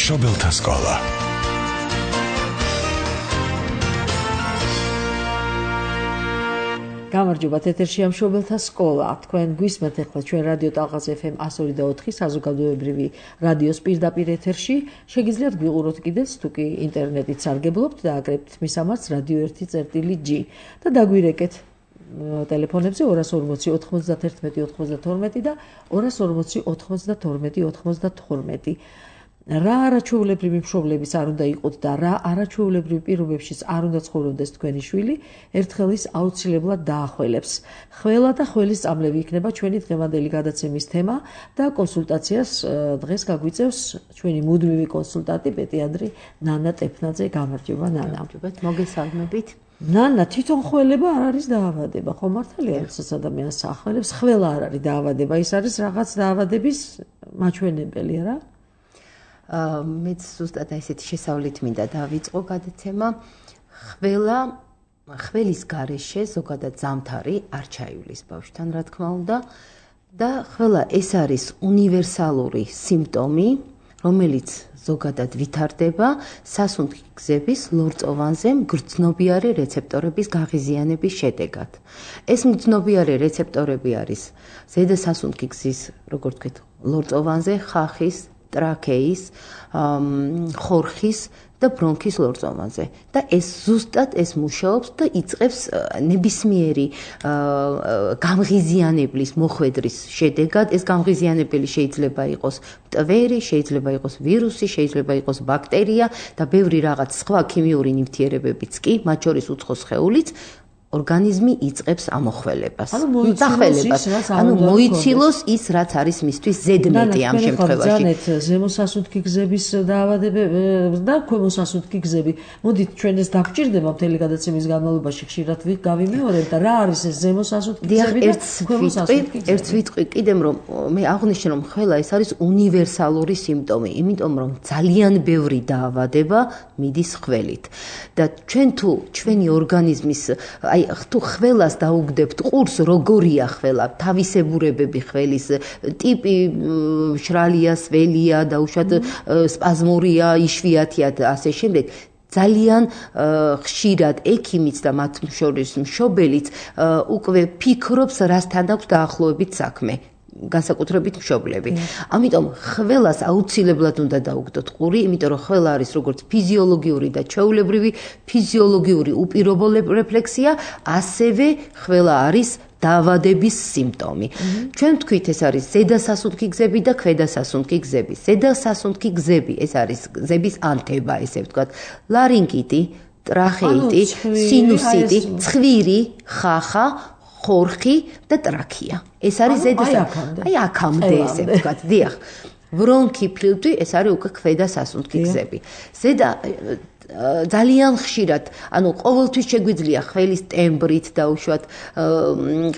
მშობელთა სკოლა. გამარჯობათ, ეთერშია მშობელთა სკოლა. თქვენ გვისმენთ ახლა ჩვენ რადიო ტალღას FM 102.4 საზოგადოებრივი რადიოს პირდაპირ ეთერში. შეგიძლიათ გვიყუროთ კიდეც, თუ კი ინტერნეტით სარგებლობთ და აკრებთ მისამართს Radio 1.G და დაგვირეკეთ ტელეფონებზე 240 91 92 და 240 92 92. რა არაჩვეულებრივი მშობლების არ უნდა იყოთ და რა არაჩვეულებრივ პირობებშიც არ უნდა ცხოვრობდეს თქვენი შვილი, ერთხელ ის აუცილებლად დაახველებს. ხველა და ხველის წამლები იქნება ჩვენი დღევანდელი გადაცემის თემა და კონსულტაციას დღეს გაგვიწევს ჩვენი მუდმივი კონსულტანტი პედიატრი ნანა ტეფნაძე. გამარჯობა ნანა. მოგესალმებით. ნანა, თვითონ ხველება არ არის დაავადება, ხო მართალია? როდესაც ადამიანს ახველებს, ხველა არ არის დაავადება, ის არის რაღაც დაავადების მაჩვენებელი, რა? მეც ზუსტად ესეთი შესავლით მინდა დავიწყო გადაცემა. ხველის გარეშე ზოგადად ზამთარი არ ჩაივლის ბავშვთან, რა თქმა უნდა, და ხველა ეს არის უნივერსალური სიმპტომი, რომელიც ზოგადად ვითარდება სასუნთქი გზების ლორწოვანზე მგრძნობიარე რეცეპტორების გაღიზიანების შედეგად. ეს მგრძნობიარე რეცეპტორები არის ზედა სასუნთქი გზის, როგორც ვთქვით, ლორწოვანზე ხახის, ტრაქეის, ხორხის და ბრონქის ლორწოვანზე და ეს ზუსტად ეს მუშაობს და იწყებს ნებისმიერი გამღიზიანებლის მოხვედრის შედეგად. ეს გამღიზიანებელი შეიძლება იყოს მტვერი, შეიძლება იყოს ვირუსი, შეიძლება იყოს ბაქტერია და ბევრი რაღაც სხვა ქიმიური ნივთიერებებიც კი, მათ შორის უცხო სხეულიც ორგანიზმი იწყებს ამოხველებას. ანუ მოიცილოს ის, რაც არის მისთვის ზედმეტი ამ შემთხვევაში. განეთ ზემოსასუნთქი გზების დაავადებები და ქვემოსასუნთქი გზები. მოდით ჩვენ ეს დაგვჭირდება მთელი გადაცემის განმავლობაში ხშირად გავიმეორებ და რა არის ეს ზემოსასუნთქი გზები და ქვემოსასუნთქი გზები. ერთ ვიტყვი კიდემ რომ მე აღვნიშნე რომ ხველა ეს არის უნივერსალური სიმპტომი, იმიტომ რომ ძალიან ბევრი დაავადება მიდის ხველით. და ჩვენ თუ ჩვენი ორგანიზმის თუ ხველას დაუგდებთ ყურს, როგორია ხველა, თავისებურებები ხველის, ტიპი მშრალია, სველია, დაუშვათ სპაზმურია, იშვიათია და ასე შემდეგ. ძალიან ხშირად ექიმიც და მათ შორის მშობელიც უკვე ფიქრობს, რასთან აქვს დაახლოებით საქმე. განსაკუთრებით მშობლები. ამიტომ ხველას აუცილებლად უნდა დაუგდოთ ყური, იმიტომ რომ ხველა არის როგორც ფიზიოლოგიური და ჩვეულებრივი ფიზიოლოგიური უპირობო რეფლექსია, ასევე ხველა არის დაავადების სიმპტომი. ჩვენ ვთქვით, ეს არის ზედა სასუნთქი გზები და ქვედა სასუნთქი გზები. ზედა სასუნთქი გზები, ეს არის გზების ანთება, ესე ვთქვათ, ლარინგიტი, ტრახეიტი, სინუსიტი, ცხვირი, ხახა, ხორხი და ტრაქია. ეს არის ზედა აი აქამდე ესე ვთქვათ, დიახ. ბრონქი, ფლივტვი, ეს არის უკვე ქვედა სასუნთქი გზები. ზედა ძალიან ხშირად, ანუ ყოველთვის შეგვიძლია ხველის ტემბრით დაუშვათ,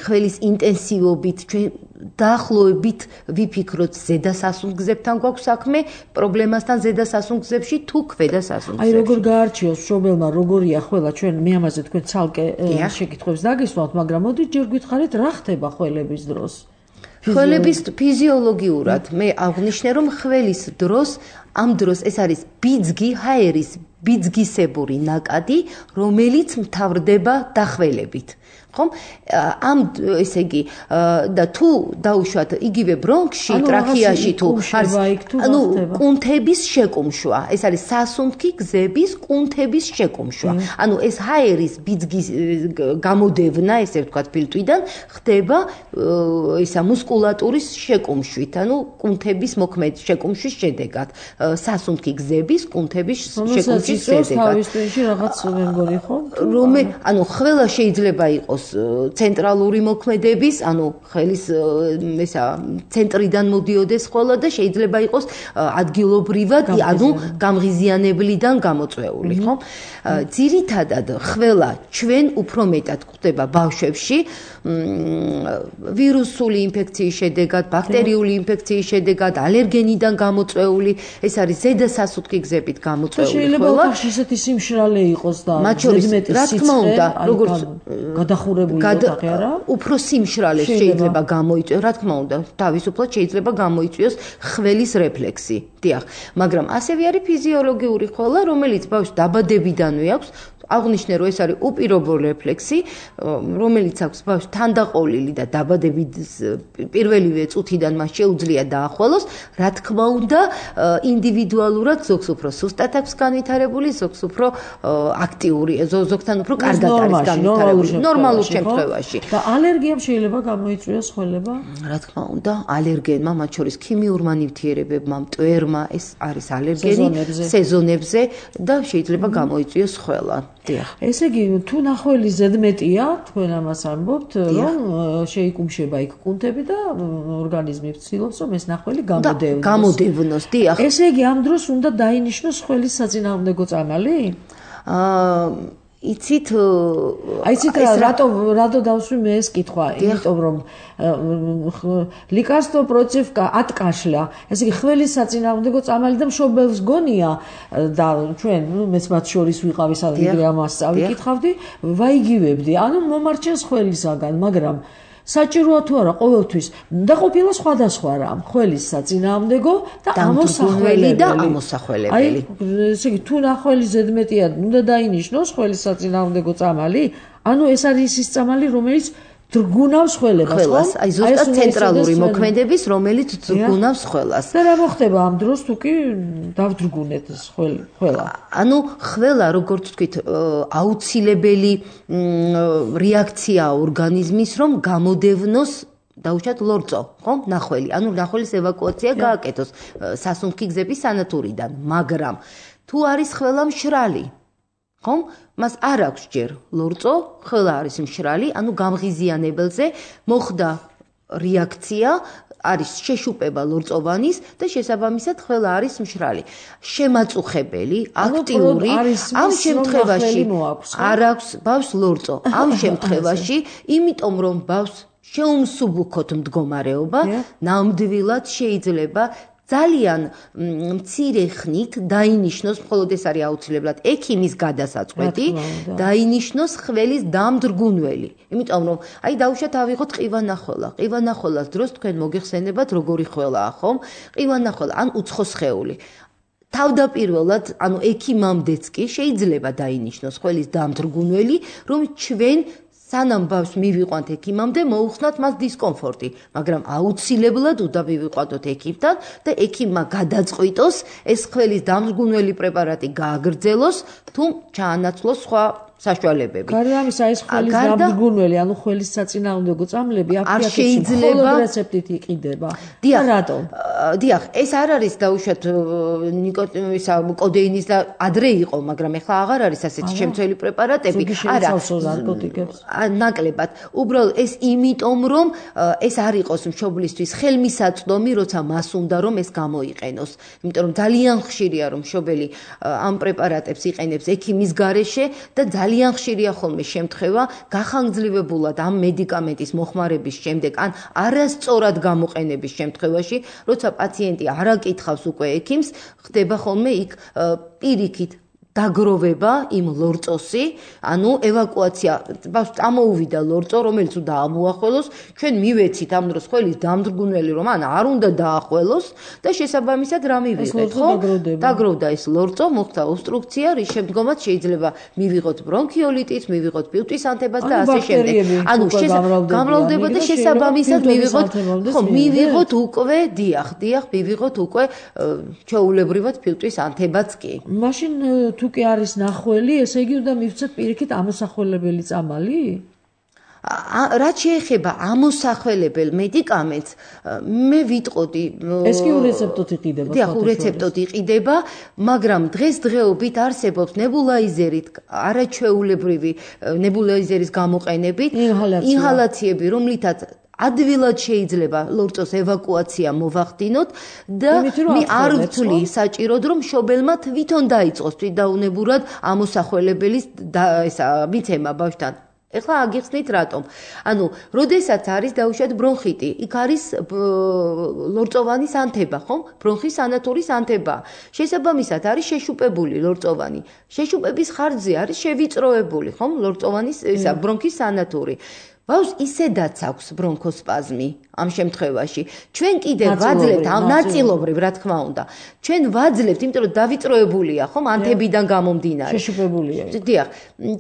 ხველის ინტენსივობით, ჩვენ დაახლოებით ვიფიქროთ ზედა სასუნთქგზებთან გვაქვს საქმე, პრობლემასთან ზედა სასუნთქგზებში თუ ქვედა სასუნთქგზებში. აი როგორ გაარჩიოს მშობელმა, როგორია ხველა, ჩვენ მე ამაზე თქვენ ცალკე შეკითხვებს დაგისვამთ, მაგრამ მოდით ჯერ გითხარით, რა ხდება ხველების დროს? ხველების ფიზიოლოგიურად მე აღვნიშნე რომ ხველის დროს ამ დროს ეს არის ბიძგი, ჰაერის ბიძგისებური ნაკადი, რომელიც მთავრდება დახველებით. ხომ? ამ ესე იგი და თუ დაუშვათ იგივე ბრონქში, ტრაქეაში თუ ანუ კუნთების შეკუმშვა, ეს არის სასუნთქი გზების კუნთების შეკუმშვა. ანუ ეს ჰაერის ბიძგის გამოდევნა, ესე ვთქვათ, ფილტვიდან ხდება ისა მუსკულატურის შეკუმშვით, ანუ კუნთების მოქმედის შეკუმშვის შედეგად, სასუნთქი გზების კუნთების შეკუმშვის შედეგად. თავის ტვინში რაღაც მე მგონი ხო? ანუ ხველა შეიძლება იყოს ცენტრალური მოქმედების, ანუ ხელის ესა ცენტრიდან მოდიოდეს ხოლმე და შეიძლება იყოს ადგილობრივად, ანუ გამღიზიანებლიდან გამოწვეული, ხო? ძირითადად ხველა ჩვენ უფრო მეტად გვხდება ბავშვებში ვირუსული ინფექციის შედეგად, ბაქტერიული ინფექციის შედეგად, ალერგენიდან გამოწვეული, ეს არის ზედა სასუნთქი გზებით გამოწვეული ხველა. შეიძლება ჭირდება. ისეთი სიმშრალე იყოს და მათ შორის რა თქმა უნდა, როგორც გადახურებული ოთახი არა? უფრო სიმშრალეს შეიძლება გამოიწვიოს, რა თქმა უნდა, თავისუფლად შეიძლება გამოიწვიოს ხველის რეფლექსი. დიახ, მაგრამ ასევე არის ფიზიოლოგიური ხველა, რომელიც ბავშვს დაბადებიდანვე აქვს. აღნიშნე რომ ეს არის უპირობო რეფლექსი, რომელიც აქვს ბავშვს თანდაყოლილი და დაბადების პირველივე წუთიდან მას შეუძლია დაახვალოს, რა თქმა უნდა, ინდივიდუალურად ზოგს უფრო სუსტად აქვს განვითარებული, ზოგს უფრო აქტიური, ზოგთან უფრო კარგად არის განვითარებული, ნორმალურ შემთხვევაში. და ალერგიამ შეიძლება გამოიწვიოს ხველება? რა თქმა უნდა, ალერგენმა, მათ შორის ქიმიურმა ნივთიერებებმა, მტვერმა, ეს არის ალერგენი სეზონებზე და შეიძლება გამოიწვიოს ხველა. ესე იგი, თუ ნახველის ზედმეტია, თქვენ ამას ამბობთ, რომ შეიკუმშება იქ კუნთები და ორგანიზმი ვცდილობს, რომ ეს ნახველი გამოდევნოს. დიახ. ესე იგი, ამ დროს უნდა დაინიშნოს ხველის საწინააღმდეგო წამალი? იცით რატო დავსვი მე ეს კითხვა, იმიტომ რომ лекарство против от кашля. ესე იგი, ხველის საწინააღმდეგო წამალი და მშობელს გონია და ჩვენ მეც მათ შორის ვიყავი, სადღაც ამას წავიკითხავდი, ვაიგივებდი. ანუ მომარჩენს ხველისაგან, მაგრამ საჭიროა თუ არა ყოველთვის და ყოფილა სხვადასხვა რამ, ხველის საწინააღმდეგო და ამოსახველებელი. ესე იგი, თუ ნახველის ზედმეტია, უნდა დაინიშნოს ხველის საწინააღმდეგო წამალი, ანუ ეს არის ის წამალი, რომელიც დრგუნავს ხველებას, ხო? აი ზუსტად ცენტრალური მოქმედების, რომელიც დრგუნავს ხველას. და რა მოხდება ამ დროს თუ კი დავდრგუნეთ ეს ხველა? ანუ ხველა, როგორც ვთქვით, აუცილებელი რეაქცია ორგანიზმის, რომ გამოდევნოს დაუშვათ ლორწო, ხო? ნახველი. ანუ ნახველის ევაკუაცია გააკეთოს სასუნთქი გზების სანათურიდან, მაგრამ თუ არის ხველა მშრალი, ხომ? მას არ აქვს ჯერ ლორწო, ხველა არის მშრალი, ანუ გამღიზიანებელზე მოხდა რეაქცია, არის შეშუპება ლორწოვანის და შესაბამისად ხველა არის მშრალი. შემაწუხებელი, აქტიური, ამ შემთხვევაში არ აქვს ბავშვს ლორწო. ამ შემთხვევაში, იმიტომ რომ ბავშვს შეუმსუბუქოთ მდგომარეობა, ნამდვილად შეიძლება ძალიან მცირე ხნით დაინიშნოს, მხოლოდ ეს არის აუცილებლად ექიმის გადასაწყვეტი, დაინიშნოს ხველის დამდრგუნველი. იმიტომ რომ აი დაუშვათ ავიღოთ ყივანახველა. ყივანახველას დროს თქვენ მოგეხსენებათ როგორი ხველაა, ხომ? ყივანახველა ან უცხოსხეული. თავდაპირველად, ანუ ექიმამდეც კი შეიძლება დაინიშნოს ხველის დამდრგუნველი, რომ ჩვენ სანამ ბავშვს მივიყვანთ ექიმამდე, მოუხსნათ მას დისკომფორტი, მაგრამ აუცილებლად უნდა მივიყვანოთ ექიმთან და ექიმმა გადაწყვიტოს ეს ხველის დამდგუნველი პრეპარატი გააგრძელოს, თუ ჩაანაცვლოს სხვა საშუალებები. გარდა ამისა, ეს ხველის დამდგუნველი, ანუ ხველის საწინააღმდეგო წამლები არ შეიძლება რეცეპტით იყიდება. რატომ? დიახ, ეს არ არის დაუშვათ ნიკოტინის, კოდეინის და ადრე იყო, მაგრამ ეხლა აღარ არის ასეთი შემცველი პრეპარატები. არა, ნარკოტიკებს. ნაკლებად. უბრალოდ ეს იმიტომ, რომ ეს არ იყოს მშობლისთვის ხელმისაწვდომი, როცა მას უნდა რომ ეს გამოიყენოს. იმიტომ რომ ძალიან ხშირია რომ მშობელი ამ პრეპარატებს იყენებს ექიმის გარეშე და ძალიან ხშირია ხოლმე შემთხვევა გახანგრძლივებულად ამ მედიკამენტის მოხმარების შემდეგ ან არასწორად გამოყენების შემთხვევაში, როცა პაციენტი არ აკითხავს უკვე ექიმს, ხდება ხოლმე იქ პირიქით დაგროვება იმ ლორწოსი, ანუ ევაკუაცია, ბავშვს წამოუვიდა ლორწო, რომელიც უნდა ამოახველოს, ჩვენ მივეცით ამ დროს ხველის დამდრგუნველი, რომ ან არ უნდა დაახველოს და შესაბამისად რა მივიღეთ, ხო? დაგროვდა ეს ლორწო, მოხდა ობსტრუქცია, რის შემდგომაც შეიძლება მივიღოთ ბრონქიოლიტიც, მივიღოთ ფილტვის ანთებას და ასე შემდეგ. ანუ გამრავლდება და შესაბამისად მივიღოთ, ხო, მივიღოთ უკვე, დიახ, მივიღოთ უკვე ჩვეულებრივად ფილტვის ანთებაც კი. მაშინ თუ კი არის ნახველი, ესე იგი უნდა მივცეთ პირიქით ამოსახველებელი წამალი? რაც შეეხება ამოსახველებელ მედიკამენტს, მე ვიტყოდი ეს კი ურეცეპტოდ იყიდება. დიახ, ურეცეპტოდ იყიდება, მაგრამ დღესდღეობით არსებობს ნებულაიზერით, არაჩვეულებრივი ნებულაიზერის გამოყენებით, ინჰალაციები, რომლითაც ადვილად შეიძლება ლორწოს ევაკუაცია მოვახდინოთ და მე არ ვთვლი საჭიროდ რომ მშობელმა თვითონ დაიწყოს თვითდაუნებურად ამოსახველებელის ესა მიცემა ბავშვთან. ეხლა აგიხსნით რატომ. ანუ, როდესაც არის დაუშვათ ბრონხიტი, იქ არის ლორწოვანის ანთება, ხომ? ბრონხის სანათურის ანთება. შესაბამისად არის შეშუპებული ლორწოვანი. შეშუპების ხარჯზე არის შევიწროებული, ხომ? ლორწოვანის ისა ბრონქის სანათური. ბავშვს ისედაც აქვს ბრონქოსპაზმი ამ შემთხვევაში. ჩვენ კიდე ვაძლევთ ამ ნაწილობრივ, რა თქმა უნდა. ჩვენ ვაძლევთ, იმიტომ რომ დავიწროებულია, ხომ, ანთებიდან გამომდინარე. შეშუპებულია. დიახ.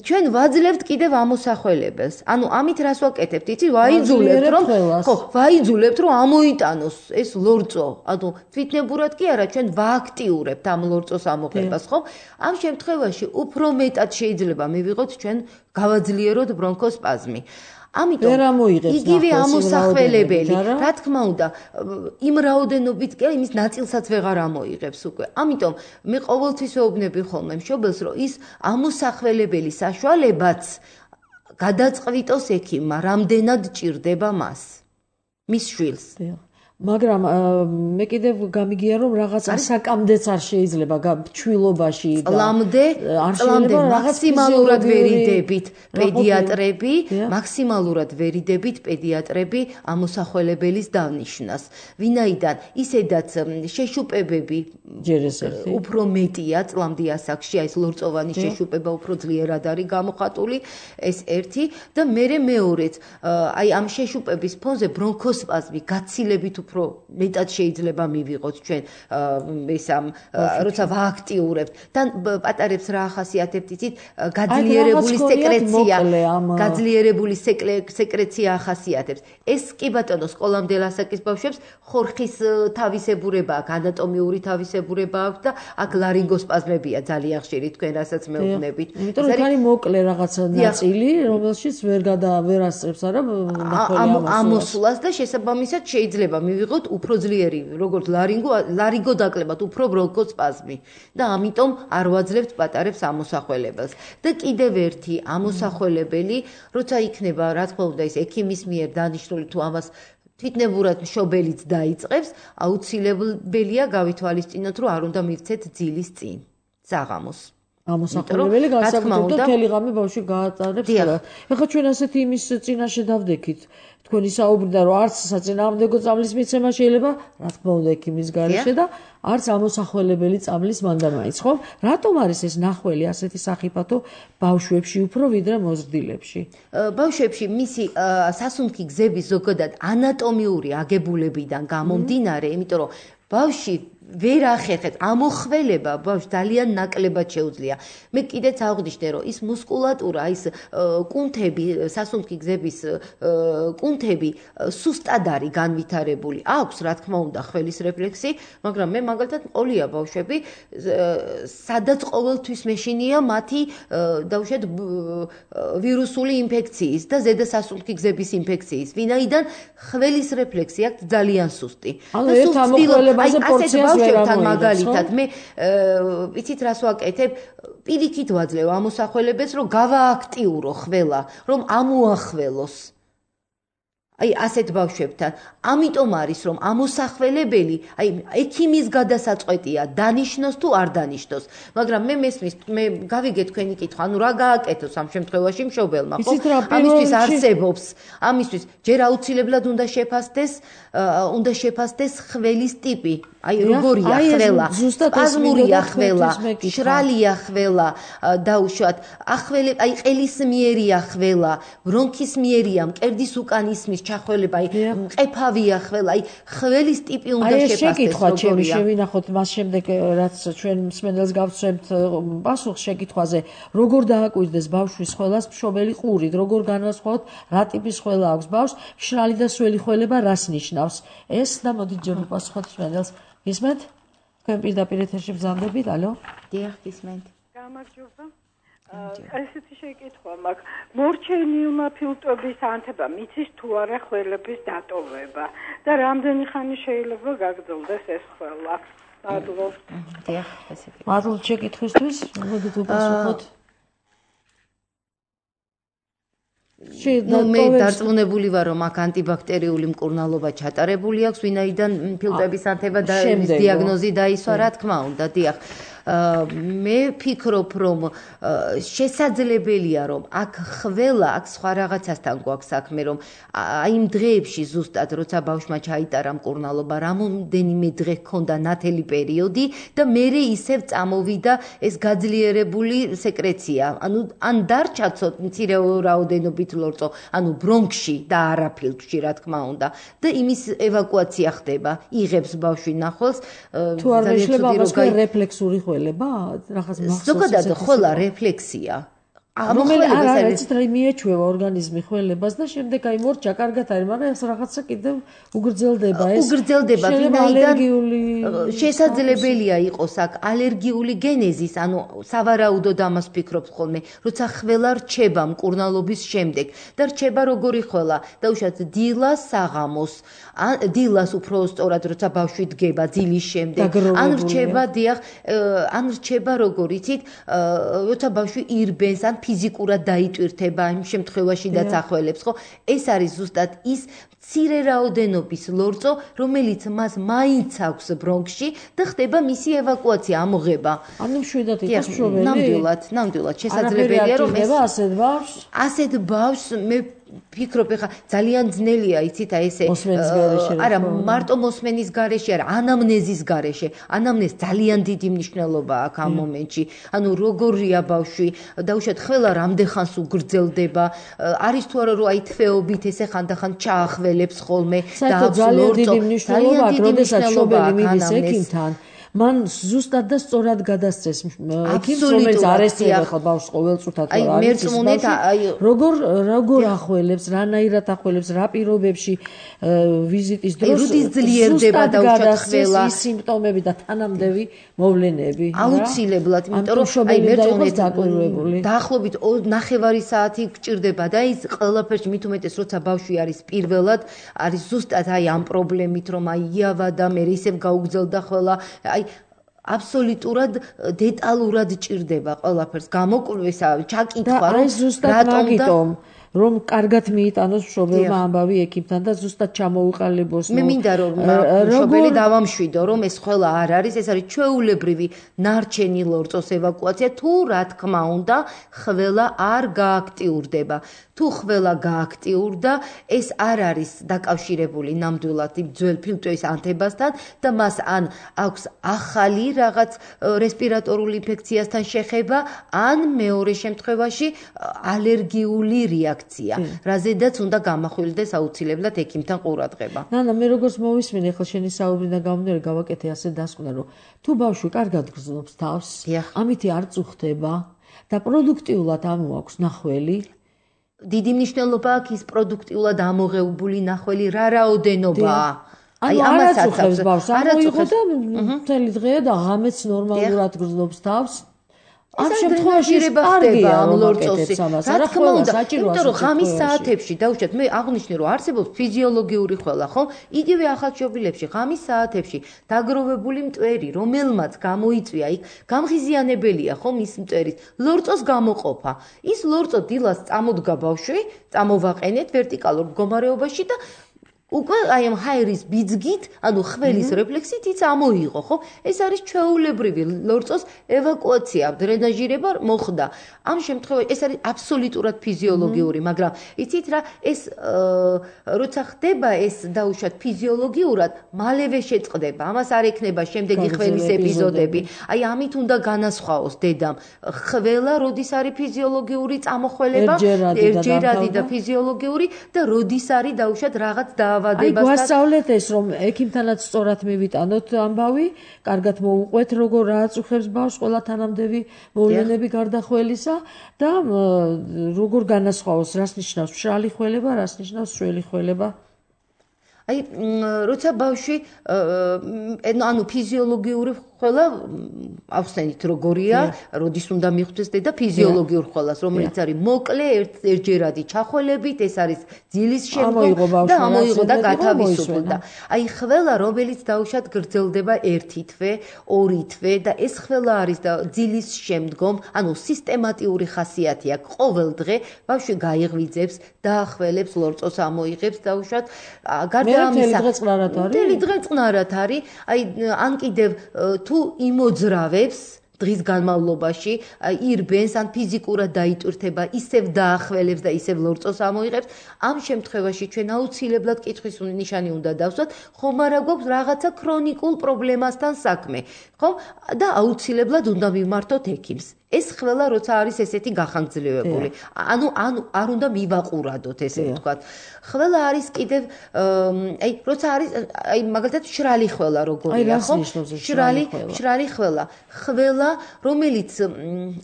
ჩვენ ვაძლევთ კიდევ ამოსახველებელს. ანუ ამით რას ვაკეთებთ? იცი, ვაიძულებთ, რომ ხო, ვაიძულებთ, რომ ამოიტანოს ეს ლორწო. ანუ თვითნებურად კი არა, ჩვენ ვააქტიურებთ ამ ლორწოს ამოღებას, ხო? ამ შემთხვევაში უფრო მეტად შეიძლება მივიღოთ ჩვენ გავაძლიეროთ ბრონქოსპაზმი. ამიტომ იგივე ამოსახველებელი, რა თქმა უნდა, იმ რაოდენობით კი იმის ნაწილსაც ვეღარ ამოიღებს უკვე. ამიტომ მე ყოველთვის ვეუბნები ხოლმე მშობელს, რომ ის ამოსახველებელი საშუალებაც გადაწყვიტოს ექიმმა, რამდენად ჭირდება მას, მის შვილს. მაგრამ მე კიდევ გამიგია რომ რაღაც ასაკამდეც არ შეიძლება ჩვილობაში და წლამდე მაქსიმალურად ვერიდებით პედიატრები ამოსახველებელის დავნიშნას. ვინაიდან ისედაც შეშუპებები უფრო მეტია წლამდე ასაკში, ეს ლორწოვანი შეშუპება უფრო ძლიერად არის გამოხატული, ეს ერთი და მეორეც, აი ამ შეშუპების ფონზე ბრონქოსპაზმი გაცილებით უფრო მეტად შეიძლება მივიღოთ ჩვენ ეს ამ როცა ვააქტიურებთ. თან პატარებს რა ახასიათებთ იცით? გაძლიერებული სეკრეცია ახასიათებს. ეს კი ბატონო სკოლამდელ ასაკის ბავშვებს ხორხის თავისებურება აქვს, ანატომიური თავისებურება აქვს და აქ ლარინგოსპაზმებია ძალიან ხშირი თქვენ რასაც მეუბნებით. იმიტომ რომ ხარი მოკლე რაღაცა ნაწილი, რომელშიც ვერ ასწრებს არა ამოსვლას და შესაბამისად შეიძლება მივიღოთ უფრო ძლიერი, როგორც ლარინგო დაკლებად, უფრო ბრონქოსპაზმი და ამიტომ არ ვაძლევთ პატარებს ამოსახველებელს. და კიდევ ერთი ამოსახველებელი, როცა იქნება, რა თქმა უნდა, ეს ექიმის მიერ დანიშნული თუ ამას თვითნებურად მშობელიც დაიწყებს, აუცილებელია გავითვალისწინოთ, რომ არ უნდა მივცეთ ძილის წინ, საღამოს. ამოსახველებელი განსაკუთრებით მთელი ღამე ბავშვი გაატარებს. ეხლა ჩვენ ასეთი იმის წინაშე დავდექით. თქვენი საუბრიდან რომ არც საწინააღმდეგო წამლის მიცემა შეიძლება, რა თქმა უნდა, ექიმის გარეშე და არც ამოსახველებელი წამლის მანდამაიც, ხო? რატომ არის ეს ნახველი ასეთი სახიფათო ბავშვებში უფრო ვიდრე მოზრდილებში? ბავშვებში მისი სასუნთქი გზების ზოგადად ანატომიური აგებულებიდან გამომდინარე, იმიტომ რომ ბავშვი ვერ ახერხებს ამოხველება ბავშვს ძალიან ნაკლებად შეუძლია. მე კიდეც აღვნიშნე, რომ ის მუსკულატურა, ის კუნთები, სასუნთქი გზების კუნთები სუსტად არის განვითარებული. აქვს, რა თქმა უნდა, ხველის რეფლექსი, მაგრამ მე მაგალითად ყოლია ბავშვები, სადაც ყოველთვის მეშინია მათი დაუშვათ ვირუსული ინფექციის და ზედა სასუნთქი გზების ინფექციის, ვინაიდან ხველის რეფლექსი აქვს ძალიან სუსტი. ანუ ერთ ამოხველებაზე პორციას ბავშვებთან მაგალითად მე იცით რას ვაკეთებ? პირიქით ვაძლევ ამოსახველებელს, რომ გავააქტიურო ხველა, რომ ამოახველოს. აი ასეთ ბავშვებთან. ამიტომ არის რომ ამოსახველებელი, აი ექიმის გადასაწყვეტია დანიშნოს თუ არ დანიშნოს. მაგრამ მე გავიგე თქვენი კითხვა, ანუ რა გააკეთოს ამ შემთხვევაში მშობელმა, ხო? ამისთვის არსებობს, ამისთვის ჯერ აუცილებლად უნდა შეფასდეს ხველის ტიპი. აი როგორია ხველა, სპაზმურია ხველა, შრალია ხველა, დაუშვათ, აი ყელისმიერია ხველა, ბრონქისმიერია, მკერდის უკან ისმის ჩახველება, აი მყეფავია ხველა, აი ხველის ტიპი უნდა შეფასდეს. აი შეკითხვა ჩემი შევინახოთ მას შემდეგ რაც ჩვენ მსმენელს გავცემთ პასუხს შეკითხვაზე, როგორ დააკვირდეს ბავშვის ხველას მშობელი ყურით, როგორ განვასხვაოთ რა ტიპის ხველა აქვს ბავშვს, მშრალი და სველი ხველება რას ნიშნავს. ეს და მოდით ჯერ ვიპასუხოთ მსმენელს. გისმენთ? თქვენ პირდაპირ ეთერში ბრძანდებით, ალო? დიახ, გისმენთ. გამარჯობა. ესეთი შეკითხვა მაქვს. მორჩენილმა ფილტვების ანთება მიცის თუ არა ხველების დატოვება და რამდენი ხანი შეიძლება გაგრძელდეს ეს ხველა? მადლობთ. დიახ, ესეთი. მადლობთ შეკითხვისთვის. მოდით ვიპასუხოთ. მე დარწმუნებული ვარ, რომ აქ ანტიბაქტერიული მკურნალობა ჩატარებული აქვს, ვინაიდან ფილტვების ანთება და დიაგნოზი დაისვა, რა თქმა უნდა, დიახ. მე ვფიქრობ, რომ შესაძლებელია, რომ აქ ხველა, აქ სხვა რაღაცასთან გვაქვს საქმე, რომ აი იმ დღეებში ზუსტად როცა ბავშვმა ჩაიტარა მკურნალობა, რამოდენიმე დღე ჰქონდა ნათელი პერიოდი და მერე ისევ წამოვიდა ეს გაძლიერებული სეკრეცია. ანუ ან დარჩა მცირე რაოდენობით ლორწო, ანუ ბრონქში და არა ფილტვში, რა თქმა უნდა. და იმის ევაკუაცია ხდება, იღებს ბავშვი ნახველს. თუ არ შეიძლება ამას რეფლექსური ხველება, რაღაც მახსოვს. ზოგადად ხველა რეფლექსია. რომელიც რა მიეჩვევა ორგანიზმი ხველებას და შემდეგ აი მორჩა კარგად არის, მაგრამ ეს რაღაცა კიდევ უგრძელდება ეს. უგრძელდება, ვინაიდან შესაძლებელია იყოს აქ ალერგიული გენეზის, ანუ სავარაუდოდ ამას ვფიქრობ ხოლმე, როცა ხველა რჩება მკურნალობის შემდეგ და რჩება როგორი ხველა, დაუშვათ დილას საღამოს, დილას უფრო სწორად როცა ბავშვი დგება დილის შემდეგ, ან რჩება დიახ, ან რჩება როგორ იცით, როცა ბავშვი ირბენს ან ფიზიკურად დაიტვირთება იმ შემთხვევაშიდაც ახველებს, ხო? ეს არის ზუსტად ის მცირე რაოდენობის ლორწო, რომელიც მას მაინც აქვს ბრონქში და ხდება მისი ევაკუაცია, ამოღება. ანუ შვიდად იყოს მშობელი? ნამდვილად შესაძლებელია, რომ ეს ასეთ ბავშვს მე ვფიქრობ, ხა ძალიან ძნელია, იცით, აი ესე არა, მარტო მოსმენის გარეშე, არა, ანამნეზის გარეშე. ანამნეზ ძალიან დიდი მნიშვნელობა აქვს ამ მომენტში. ანუ როგორია ბავშვი, დაუშვათ ხველა რამდენხანს უგრძელდება, არის თუ არა რომ აი თვეობით ესე ხანდახან ჩაახველებს ხოლმე და ძალიან დიდი მნიშვნელობა აქვს, როდესაც მშობელი მიდის ექიმთან. მან ზუსტად და სწორად გადასცეს ექიმს, რომელიც არ ესწრება ხო ბავშვს ყოველწუთად როგორ ახველებს, რანაირად ახველებს, რა პირობებში ვიზიტის დროს როდის ძლიერდება დაუშვათ ხველა ის სიმპტომები და თანამდევი მოვლენები. აუცილებლად, იმიტომ რომ აი მერწმუნეთ დაახლოებით 9 საათი გჭირდება და ის ყველაფერში მით უმეტეს როცა ბავშვი არის პირველად, არის ზუსტად აი ამ პრობლემით, რომ აი იავადა, მე ისევ გაუგზელდა ხველა, აბსოლუტურად დეტალურად ჭირდება ყველაფერს გამოკვლევა, ჩაკითხვა, რატომ რომ კარგად მიიტანოს მშობელმა ამბავი ექიმთან და ზუსტად ჩამოუყალიბოს. მე მინდა რომ მშობელი დავამშვიდო, რომ ეს ყველა არ არის, ეს არის ჩვეულებრივი ნარჩენი ლორწოს ევაკუაცია, თუ რა თქმა უნდა, ხველა არ გააქტიურდება. თუ ხველა გააქტიურდა, ეს არ არის დაკავშირებული ნამდვილად იმ ძველ ფილტვის ანთებასთან და მას ან აქვს ახალი რაღაც რესპირატორული ინფექციასთან შეხება, ან მეორე შემთხვევაში ალერგიული რეაქცია, რაზედაც უნდა გამახვილდეს აუცილებლად ექიმთან ყურადღება. ნანა, მე როგორც მოვისმინე, ახლა შენი საუბრიდან გამომდინარე გავაკეთე ასე დასკვნა, რომ თუ ბავშვი კარგად გრძნობს თავს, ამით არ წუხდება და პროდუქტიულად ამოაქვს ნახველი, დიდი მნიშვნელობა აქვს ის პროდუქტიულად ამოღებული ნახველი რა რაოდენობაა. აი ამას აწუხებს ბავშვს, ამოიღო და მთელი დღე და ღამეც ნორმალურად გრძნობს თავს. ამ შემთხვევაში ხდება ამ ლორწოსი. რა თქმა უნდა, იმიტომ რომ ღამის საათებში დაუშვათ, მე აღნიშნე რომ არსებობს ფიზიოლოგიური ხველა, ხო? იგივე ახალშობილებში ღამის საათებში დაგროვებული მტვერი, რომელმაც გამოიწვია იქ, გამღიზიანებელია, ხო, მის მტვერის ლორწოს გამოყოფა. ის ლორწო დილას წამოდგა ბავშვი, წამოვაყენეთ ვერტიკალურ მდგომარეობაში და უკვე აი ამ ჰაერის ბიძგით, ანუ ხველის რეფლექსით ის ამოიღო, ხო? ეს არის ჩვეულებრივი ლორწოს ევაკუაცია, დრენაჟირება მოხდა. ამ შემთხვევაში ეს არის აბსოლუტურად ფიზიოლოგიური, მაგრამ იცით რა, ეს როცა ხდება ეს დაუშვათ ფიზიოლოგიურად, მალევე შეწყდება. ამას არ ექნება შემდეგი ხველის ეპიზოდები. აი ამით უნდა განასხვაოს დედამ. ხველა როდის არის ფიზიოლოგიური წამოხველება, ერთჯერადი და ფიზიოლოგიური და როდის არის დაუშვათ რაღაც აი გვასწავლეთ ეს, რომ ექიმთანაც სწორად მივიტანოთ ამბავი, კარგად მოუყვეთ, როგორ აწუხებს ბავშვს ყველა თანამდევი მოვლენები გარდა ხველისა და როგორ განასხვაოს, რას ნიშნავს მშრალი ხველება, რას ნიშნავს სველი ხველება. აი, როცა ბავშვი ანუ ფიზიოლოგიური ხველა ავხსენით როგორია, როდის უნდა მიხვდეს დედა ფიზიოლოგიურ ხველას, რომელიც არის მოკლე ერთჯერადი ჩახველებით, ეს არის ძილის შემდგომ და ამოიღო და გათავისუფლდა. აი ხველა, რომელიც დაუშვათ გრძელდება 1 თვე, 2 თვე და ეს ხველა არის და ძილის შემდგომ, ანუ სისტემატიური ხასიათი აქვს. ყოველ დღე ბავშვი გაიღვიძებს, დაახველებს, ლორწოს ამოიღებს დაუშვათ. გარდა ამისა, მთელი დღე წყნარად არის. აი ან კიდევ თუ იმოძრავებს დღის განმავლობაში ირბენს ან ფიზიკურად დაიტვირთება, ისევ დაახველებს და ისევ ლორწოს ამოიღებს, ამ შემთხვევაში ჩვენ აუცილებლად კითხვის ნიშანი უნდა დავსვათ, ხომ არა გვაქვს რაღაცა ქრონიკულ პრობლემასთან საქმე, ხო? და აუცილებლად უნდა მივმართოთ ექიმს. ეს ყველა როცა არის ესეთი გახანგრძლივებული. ანუ არ უნდა მივაყურადოთ ესე ვთქვათ. ყველა არის კიდევ როცა არის მაგალითად შრალი ხველა როგორია, ხო? შრალი ხველა. ხველა, რომელიც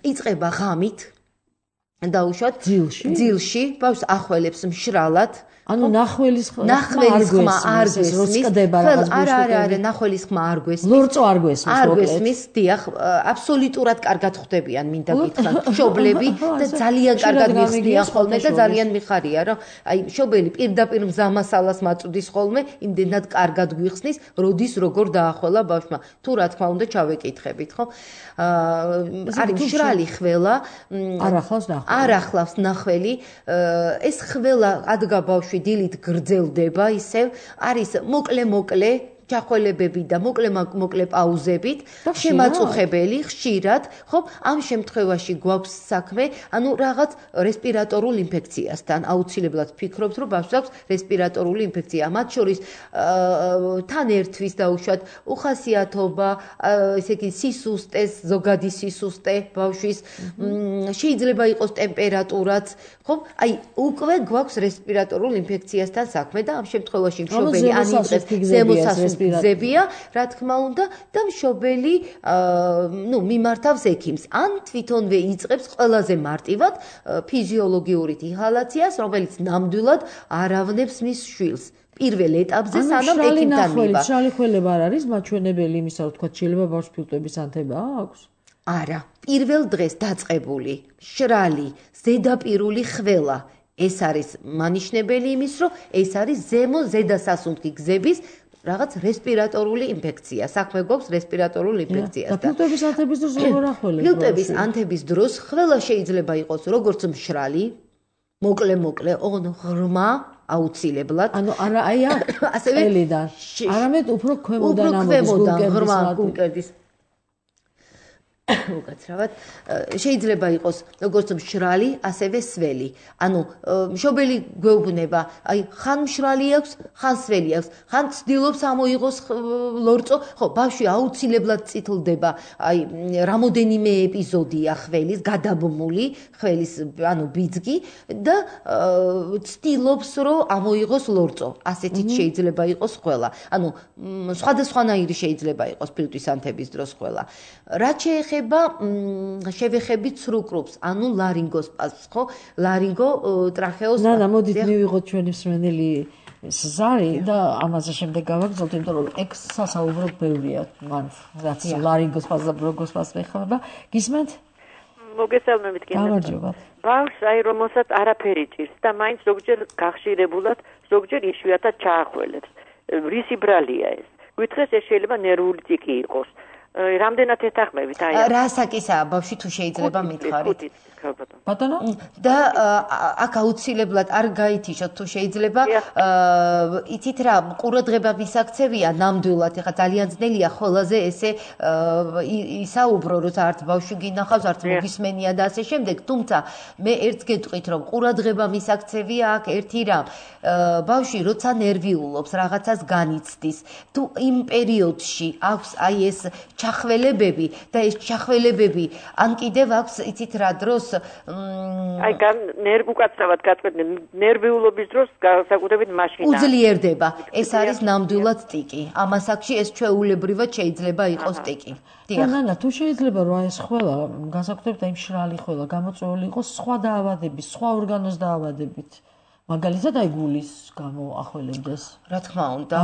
იწყება ღამით დაუშვათ ძილში, ბავშვს ახველებს მშრალად. ანუ ნახველის ხმა არ გვესმის, არა, ნახველის ხმა არ გვესმის. ლორწო არ გვესმის, დიახ, აბსოლუტურად კარგად ხვდებიან, მინდა გითხრათ, მშობლები და ძალიან კარგად მიხდიან ხოლმე და ძალიან მიხარია, რომ აი მშობელი პირდაპირ მზამასალას მაწვდის ხოლმე, იმდენად კარგად გვიხსნის, როდის როგორ დაახველა ბავშვმა. თუ რა თქმა უნდა ჩავეკითხებით, ხო? არის შრალი ხველა, არ ახლავს ნახველი, ეს ხველა ადგა ბავშვი დილით გრძელდება ისევ, არის მოკლე ჩახველებები და მოკლე პაუზებით, შემაწუხებელი, ხშირად, ხო? ამ შემთხვევაში გვაქვს საქმე, ანუ რაღაც რესპირატორულ ინფექციასთან. აუცილებლად ვფიქრობთ, რომ ბავშვს აქვს რესპირატორული ინფექცია. მათ შორის თან ერთვის დაუშვათ უხასიათობა, ესე იგი სისუსტეს, ზოგადი სისუსტე ბავშვის, შეიძლება იყოს ტემპერატურაც, ხო? აი, უკვე გვაქვს რესპირატორულ ინფექციასთან საქმე და ამ შემთხვევაში მშობელი ან იწყებს ზემოსასუნთქი გზებია, რა თქმა უნდა, და მშობელი მიმართავს ექიმს. ან თვითონვე იწყებს ყველაზე მარტივად ფიზიოლოგიური ინჰალაციას, რომელიც ნამდვილად არავნებს მის შვილს. პირველ ეტაპზე სანამ ექიმთან მივა. შრალი ხველება არ არის მაჩვენებელი იმისა, რომ თქვა შეიძლება ბავშვს ფილტვების ანთება აქვს? არა, პირველ დღეს დაწყებული შრალი ზედაპირული ხველა. ეს არის მანიშნებელი იმის, რომ ეს არის ზედასასუნთქი გზების რაღაც რესპირატორული ინფექცია. საქმე გვაქვს რესპირატორული ინფექციასთან. და ფილტვების ანთების დროს როგორ ახველებს? ფილტვების ანთების დროს ხველა შეიძლება იყოს როგორც მშრალი, მოკლე, ღრმა, აუცილებლად. ანუ არა აი ასევე არამედ უფრო ქვემოდან ღრმა გულკერდის უკაცრავად შეიძლება იყოს როგორც მშრალი, ასევე სველი. ანუ მშობელი გვეუბნება, აი ხან მშრალი აქვს, ხან სველი აქვს, ხან ცდილობს ამოიღოს ლორწო, ხო, ბავშვი აუცილებლად წითლდება, აი რამოდენიმე ეპიზოდია ხველის გადაბმული, ხველის ანუ ბიძგი და ცდილობს რომ ამოიღოს ლორწო. ასეთით შეიძლება იყოს ყველა. ანუ სხვადასხვანაირი შეიძლება იყოს ფილტვის ანთების დროს ყველა. რაც შეეხება შევეხებით სრუკრუპს, ანუ ლარინგოს პასს, ხო? ლარინგო ტრახეოს. და მოდით მივიღოთ ჩვენი მსმენელი ზარი და ამაზე შემდეგ გავაგრძელოთ, იმიტომ რომ ექსსა საუბრობ ბევრია მან, რაც ლარინგოს პასს და ბრონქოს პასს ეხება. გისმენთ? მოგესალმებით კიდევ. გამარჯობა. ბავშვს აი რომელსაც არაფერი ჭირს და მაინც ზოგჯერ გახშირებულად, ზოგჯერ იშვიათად ჩაახველებს. რისი ბრალია ეს? გითხრეს ეს შეიძლება ნერვული ტიკი იყოს. რამდენად ეთანხმებით აი რა საკისაა ბავშვი თუ შეიძლება მითხარით ბატონო და აქ აუცილებლად არ გაითიშოთ თუ შეიძლება იცით რა ყურადღება მისაქცევია ნამდვილად ეხა ძალიან ძნელია ხოლაზე ესე ისაუბრო როცა არც ბავშვი გინახავს არც მოგისმენია და ასე შემდეგ თუმცა მე ერთს გეტყვით რომ ყურადღება მისაქცევია აქ ერთი რამ ბავშვი როცა ნერვიულობს რაღაცას განიცდის თუ იმ პერიოდში აქვს აი ეს ჩახველებები და ეს ჩახველებები ან კიდევ აქვს იცით რა დროს აი უკაცრავად გაწყვეტენ ნერვიულობის დროს განსაკუთრებით მაშინ უძლიერდება ეს არის ნამდვილად ტიკი ამას აქში ეს ჩვეულებრივად შეიძლება იყოს ტიკი და თუ შეიძლება რომ ეს ხველა განსაკუთრებით აი მშრალი ხველა გამოწვეული იყოს სხვა დაავადების სხვა ორგანოს დაავადებით მაგალითად აი გულის გამო ახველებდეს რა თქმა უნდა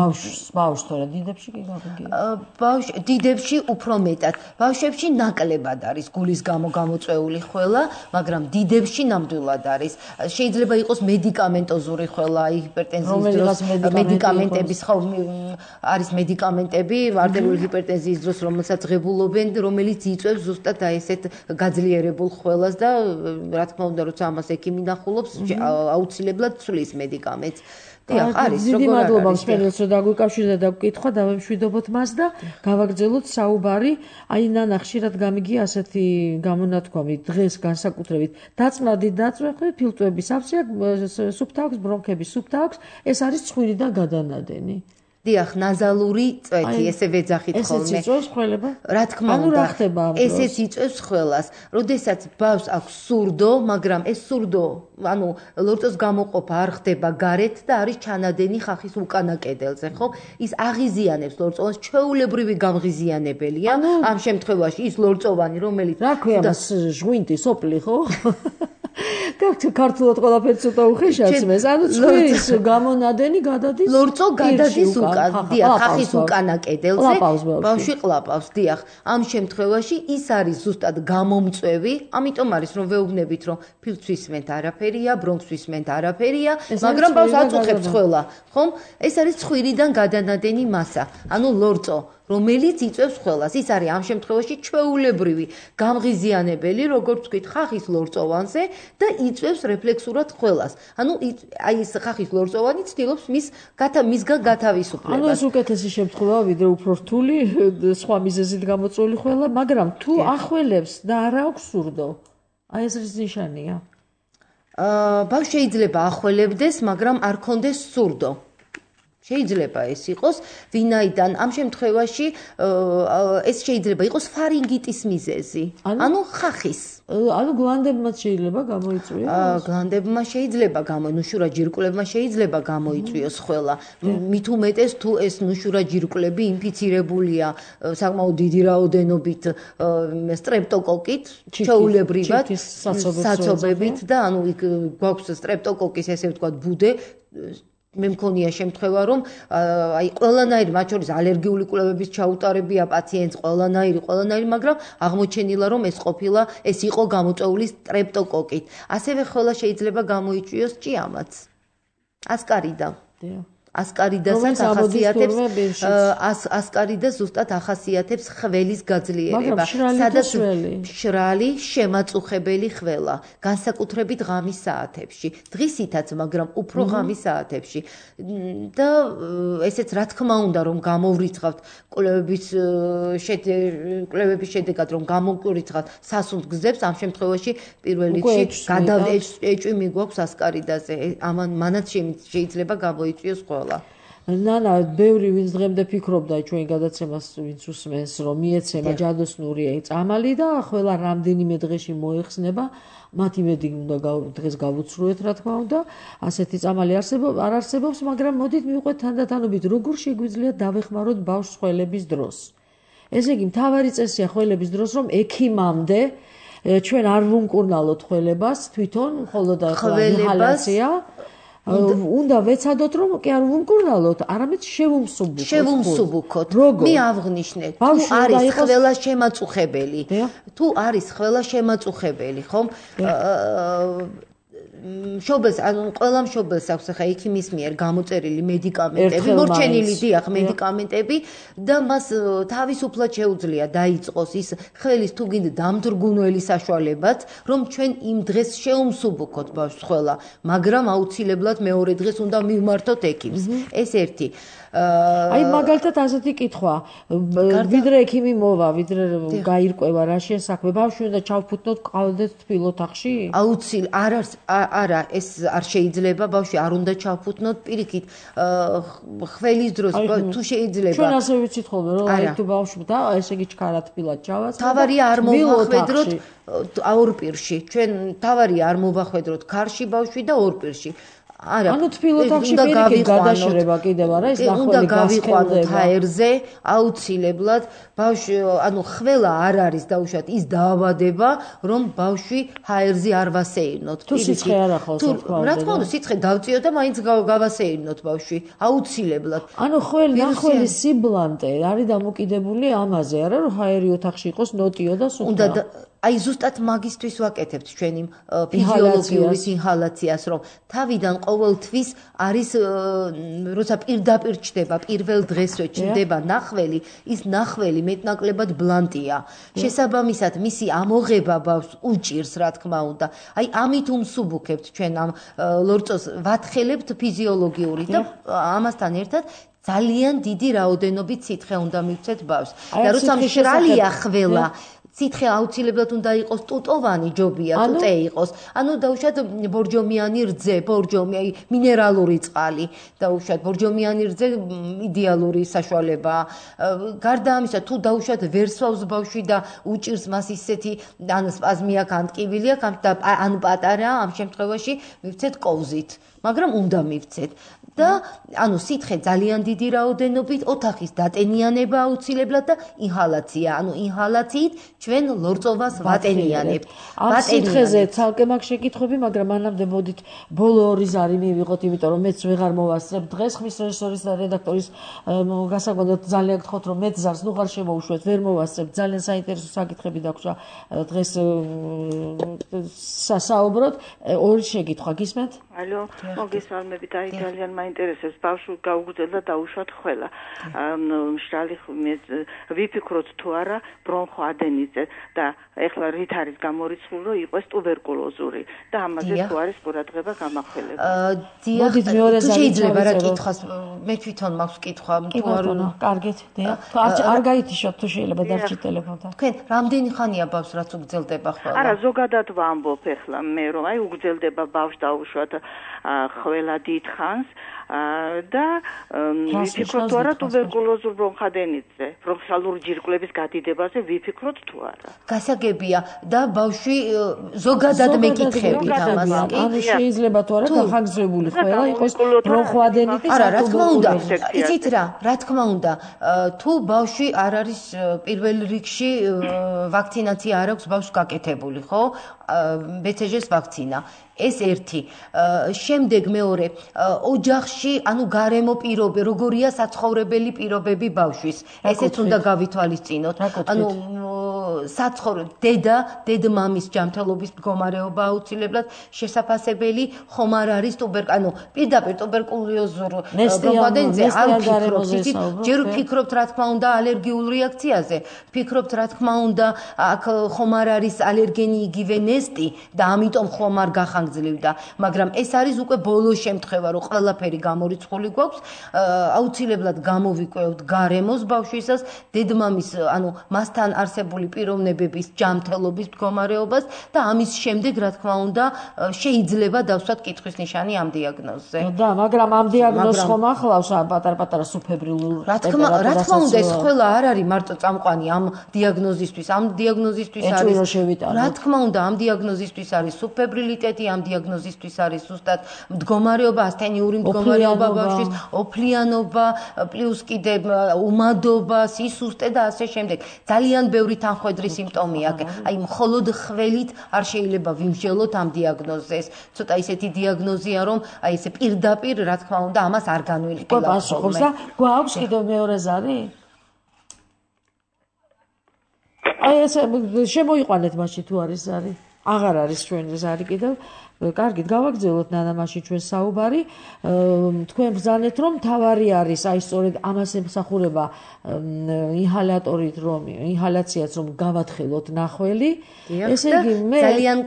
ბავშვს თორე დიდებში კი გაგიგია დიდებში უფრო მეტად ბავშვებში ნაკლებად არის გულის გამო გამოწვეული ხველა მაგრამ დიდებში ნამდვილად არის შეიძლება იყოს მედიკამენტოზური ხველა ჰიპერტენზიის დროს მედიკამენტების ხო არის მედიკამენტები არტერიული ჰიპერტენზიის დროს რომელსაც ღებულობენ რომელიც იწვევს ზუსტად აი ესეთ გაძლიერებულ ხველას და რა თქმა უნდა როცა ამას ექიმი ნახულობს აუცილებლად ცვლის მედიკამენტს. დიახ, არის დიდი მადლობა მსმენელს, რომ დაგვიკავშირდა და გკითხვა, დავემშვიდობოთ მას და გავაგრძელოთ საუბარი. აი ნანა ხშირად გამიგია ასეთი გამონათქვამი დღეს განსაკუთრებით დაწმადი დაწვეხე, ფილტვების აფსია, სუფთა აქვს, ბრონქების სუფთა აქვს, ეს არის ცხვირიდან გადანადენი. დიახ, ნაზალური წვეთი, ესე ვეძახით ხოლმე. ესეც იწვევს ხველება? რა თქმა უნდა, ესეც იწვევს ხველას. როდესაც ბავშვს აქვს სურდო, მაგრამ ეს სურდო, ანუ ლორწოს გამოყოფა არ ხდება გარეთ და არის ჩანადენი ხახის უკანა კედელზე, ხო? ის აღიზიანებს ლორწოვანს, ჩვეულებრივი გამღიზიანებელია. ამ შემთხვევაში ის ლორწოვანი, რომელიც რა ქვია მას ჟღვინტი, სოპლი, ხო? ქართულად ყველაფერი ცოტა უხეშაცმეს. ანუ ცხვირის გამონადენი გადადის ლორწო გადადის უკან, დიახ, ხახის უკანა კედელზე. ბავშვი ყლაპავს, დიახ. ამ შემთხვევაში ის არის ზუსტად გამომწვევი, ამიტომ არის რომ ვეუბნებით რომ ფილტვის მენთ არაფერია, ბრონქს მენთ არაფერია, მაგრამ ბავშვს აწუხებს ხველა, ხომ? ეს არის ცხვირიდან გადანადენი მასა, ანუ ლორწო. რომელიც იწვევს ხველას. ის არის ამ შემთხვევაში ჩვეულებრივი გამღიზიანებელი, როგორც ვთქვით, ხახის ლორწოვანზე და იწვევს რეფლექსურად ხველას. ანუ აი ეს ხახის ლორწოვანი ცდილობს მისგან გათავისუფლებას. ანუ ეს უკეთესი შემთხვევაა, ვიდრე უფრო რთული, სხვა მიზეზით გამოწვეული ხველა, მაგრამ თუ ახველებს და არ აქვს სურდო, აი ეს რის ნიშანია? ბავშვი შეიძლება ახველებდეს, მაგრამ არ კონდეს სურდო. შეიძლება ეს იყოს, ვინაიდან ამ შემთხვევაში ეს შეიძლება იყოს ფარინგიტის მიზეზი, ანუ ხახის. ანუ გლანდებმაც შეიძლება გამოიწვიოს? გლანდებმა შეიძლება ნუშურა ჯირკვლებმა შეიძლება გამოიწვიოს ხველა. მით უმეტეს თუ ეს ნუშურა ჯირკვლები ინფიცირებულია საკმაოდ დიდი რაოდენობით სტრეპტოკოკით, ჩვეულებრივად საცობებით და ანუ იქ გვაქვს სტრეპტოკოკის ესე ვთქვათ ბუდე. მე მქონია შემთხვევა რომ აი ყველანაირი მათ შორის ალერგიული კვლევების ჩაუტარებია პაციენტს ყველანაირი, მაგრამ აღმოჩენილა რომ ეს იყო გამოწვეული სტრეპტოკოკით. ასევე ხველა შეიძლება გამოიწვიოს ჭიამაც. ასკარიდა. ასკარიდასაც ახასიათებს ასკარიდა ზუსტად ახასიათებს ხველის გაძლიერება, სადაც მშრალი, შემაწუხებელი ხველა, განსაკუთრებით ღამის საათებში, დღისითაც, მაგრამ უფრო ღამის საათებში. და ესეც რა თქმა უნდა, რომ გამოვრიცხავთ კვლევების შედეგად, რომ გამოვრიცხავთ სასუნთ გზებს, ამ შემთხვევაში პირველ რიგში გადაეჭვი მიგვაქვს ასკარიდაზე, მანაც შეიძლება გამოიწვიოს ხველა. ნანა, ბევრი ვინც დღემდე ფიქრობდა ჩვენ გადაცემას, ვინც უსმენს, რომ მიეცემა ჯადოსნური წამალი და ახლა რამდენიმე დღეში მოეხსნება, მათ იმედი უნდა დღეს გავუცრუეთ, რა თქმა უნდა, ასეთი წამალი არ არსებობს, მაგრამ მოდით მივყვეთ თანდათანობით, როგორ შეგვიძლია დავეხმაროთ ბავშვს ხველების დროს. ესე იგი, მთავარი წესია ხველების დროს, რომ ექიმამდე ჩვენ არ ვუმკურნალოთ ხველებას, თვითონ მხოლოდ ინჰალაცია. უნდა ვეცადოთ რომ კი არ ვუმკურნალოთ, არამედ შევუმსუბუქოთ. მე აღვნიშნე, თუ არის ხველა შემაწუხებელი, ხომ? მშობელს, ანუ ყველა მშობელს აქვს ახლა ექიმის მიერ გამოწერილი მედიკამენტები, მორჩენილი დიახ მედიკამენტები და მას თავისუფლად შეუძლია დაიწყოს ის ხველის თუ გინდა დამძრგუნველი საშუალებაც, რომ ჩვენ იმ დღეს შევუმსუბუქოთ ბავშვს ხველა, მაგრამ აუცილებლად მეორე დღეს უნდა მივმართოთ ექიმს. ეს ერთი. აი მაგალითად ასეთი კითხვა, ვიდრე ექიმი მოვა, ვიდრე გაირკვევა რა შესაქმე, ბავშვი უნდა ჩავფუთნოთ ყავდეთ თბილ ოთახში? არა, ეს არ შეიძლება, ბავშვი არ უნდა ჩავფუთნოთ პირიქით ხველის დროს, თუ შეიძლება. ჩვენ ასე ვიცით ხოლმე, რომ აი თუ ბავშვი და ესე იგი ჩქარა თბილად ჩავას. თავარია არ მოვახვედროთ ორ პირში. ჩვენ თავარია არ მოვახვედროთ ქარში ბავშვი და ორ პირში. ანუ თბილ ოთახში პირიქით გადაშრება კიდევ არა, ეს უნდა დახველი გავიყვანოთ ჰაერზე, აუცილებლად ბავშვი, ანუ ხველა არ არის დაუშვათ ის დაავადება, რომ ბავშვი ჰაერზე არ ვასეირნოთ. თუ სიცხე არ ახავს, რა თქმა უნდა, სიცხე დავწიოთ და მაინც გავასეირნოთ ბავშვი, აუცილებლად. ანუ ნახველის სიბლანტე არის დამოკიდებული ამაზე, არა რომ ჰაერი ოთახში იყოს ნოტიო და სუფთა. აი ზუსტად მაგისტრის ვაკეთებთ ჩვენი ფიზიოლოგიური ინჰალაციას, რომ თავიდან ყოველთვის არის როცა პირდაპირ ჩდება პირველ დღესვე ჩდება ნახველი, ის ნახველი მეტნაკლებად ბლანტია. შესაბამისად, მისი ამოღება ბავშვს უჭირს, რა თქმა უნდა. აი ამით უმსუბუქებთ ჩვენ ამ ლორწოს ვათხელებთ ფიზიოლოგიური და ამასთან ერთად ძალიან დიდი რაოდენობით სითხე უნდა მივცეთ ბავშვს. და როცა მშრალია ხველა სითხე აუცილებლად უნდა იყოს ტუტოვანი ჯობია, ტუტე იყოს. ანუ დაუშვათ ბორჯომიანი რძე, ბორჯომი, აი მინერალური წყალი, დაუშვათ ბორჯომიანი რძე იდეალური საშუალებაა. გარდა ამისა, თუ დაუშვათ ვერსვავს ბავშვი და უჭირს მას ისეთი ან სპაზმი აქვს, ან ტკივილი აქვს, ან პატარაა, ამ შემთხვევაში მივცეთ კოვზით, მაგრამ უნდა მივცეთ. და ანუ სითხე ძალიან დიდი რაოდენობით, ოთახის დატენიანება აუცილებლად და ინჰალაცია. ანუ ინჰალაციით ჩვენ ლორწოვას ვატენიანებთ. ამ სითხეზე ცალკე მაქვს შეკითხვები, მაგრამ მანამდე მოდით ბოლო ორი ზარი მივიღოთ, იმიტომ რომ მეც ვეღარ მოვასწრებ დღეს ხმის რეჟისორის და რედაქტორის გასაგონად ძალიან გთხოვთ, რომ მეც ზარს ნუღარ შემოუშვეთ, ვერ მოვასწრებ. ძალიან საინტერესო საკითხები დაგვრჩა დღეს სასაუბროდ. ორი შეკითხვა გისმენთ? ალო, მოგესალმებით, აი ძალიან მაინტერესებს ბავშვი გაუგრძელდა დაუშვათ ხველა. მშრალი ვიფიქროთ თუ არა ბრონხო ადენიზე და ეხლა რით არის გამორიცხული რომ იყოს ტუბერკულოზური და ამაზე თუ არის ყურადღება გამახველება. მოდით მეორე ზარი შეიძლება რა კითხვას მე თვითონ მაქვს კითხვა თუ არა კარგით დიახ არ გაითიშოთ თუ შეიძლება დარჩით ტელეფონთან. თქვენ რამდენი ხანია ბავშვს რაც უგრძელდება ხველა? არა ზოგადად ვამბობ ეხლა მე რომ აი უგრძელდება ბავშვს დაუშვათ ხველა დიდხანს და ვიფიქროთ თუ არა ტუბერკულოზურ ბრონხადენიტზე, ბრონხალურ ჯირკვლების გადიდებაზე ვიფიქროთ თუ არა. გასაგებია და ბავშვი ზოგადად მეკითხებით ამას. ანუ შეიძლება თუ არა გახანგრძლივებული ხველა იყოს ბრონხადენიტის. არა, რა თქმა უნდა. იცით რა თქმა უნდა, თუ ბავშვი არ არის პირველ რიგში ვაქცინაცია არ აქვს ბავშვს გაკეთებული, ხო? BCG-ს ვაქცინა. ეს ერთი. შემდეგ მეორე, ოჯახში, ანუ გარემო პირობები, როგორია საცხოვრებელი პირობები ბავშვის. ესეც უნდა გავითვალისწინოთ. ანუ დედა-მამის ჯანმრთელობის მდგომარეობა აუცილებლად შესაძლებელი ხომ არ არის ანუ პირდაპირ ტუბერკულოზურ ბრონხადენიტზე არ ვფიქრობთ. ჯერ ვფიქრობთ რა თქმა უნდა ალერგიულ რეაქციაზე. ვფიქრობთ რა თქმა უნდა აქ ხომ არ არის ალერგენი იგივე ნესტი და ამიტომ ხომ არ გახანგრძლივდა, მაგრამ ეს არის უკვე ბოლო შემთხვევა, რომ ყველაფერი გამორიცხული გვაქვს, აუცილებლად გამოვიკვევთ გარემოს ბავშვისას, დედმამის, ანუ მასთან არსებული პიროვნებების ჯანმრთელობის მდგომარეობას და ამის შემდეგ, რა თქმა უნდა, შეიძლება დავსვათ კითხვის ნიშანი ამ დიაგნოზზე. და მაგრამ ამ დიაგნოზს ხომ ახლავს პატარ-პატარა სუბფებრილურ რა თქმა უნდა, ეს ყველა არ არის მარტო წამყვანი ამ დიაგნოზისთვის. ამ დიაგნოზისთვის არის რა თქმა უნდა, ამ დიაგნოზისთვის არის სუბფებრილიტეტი, ამ დიაგნოზისთვის არის ზუსტად მდგომარეობა, ასთენიური მდგომარეობა ბავშვის, ოფლიანობა, პლუს კიდე უმადობა, სისუსტე და ასე შემდეგ. ძალიან ბევრი თანხვედრი სიმპტომი აქვს. აი მხოლოდ ხველით არ შეიძლება ვიმსჯელოთ ამ დიაგნოზზე. ეს ცოტა ისეთი დიაგნოზია, რომ აი ესე პირდაპირ, რა თქმა უნდა, ამას არ განვიხილავთ ხოლმე. გვაქვს კიდევ მეორე ზარი? აი ესე შემოიყვანეთ მაშინ თუ არის ზარი. აღარ არის ჩვენი ზარი კიდევ. კარგით, გავაგრძელოთ ნანამაში ჩვენ საუბარი. თქვენ ბრძანეთ, რომ თავარი არის, აი სწორედ ამას ემსახურება ინჰალატორით, რომ ინჰალაციაც რომ გავათხელოთ ნახველი. ესე იგი, მე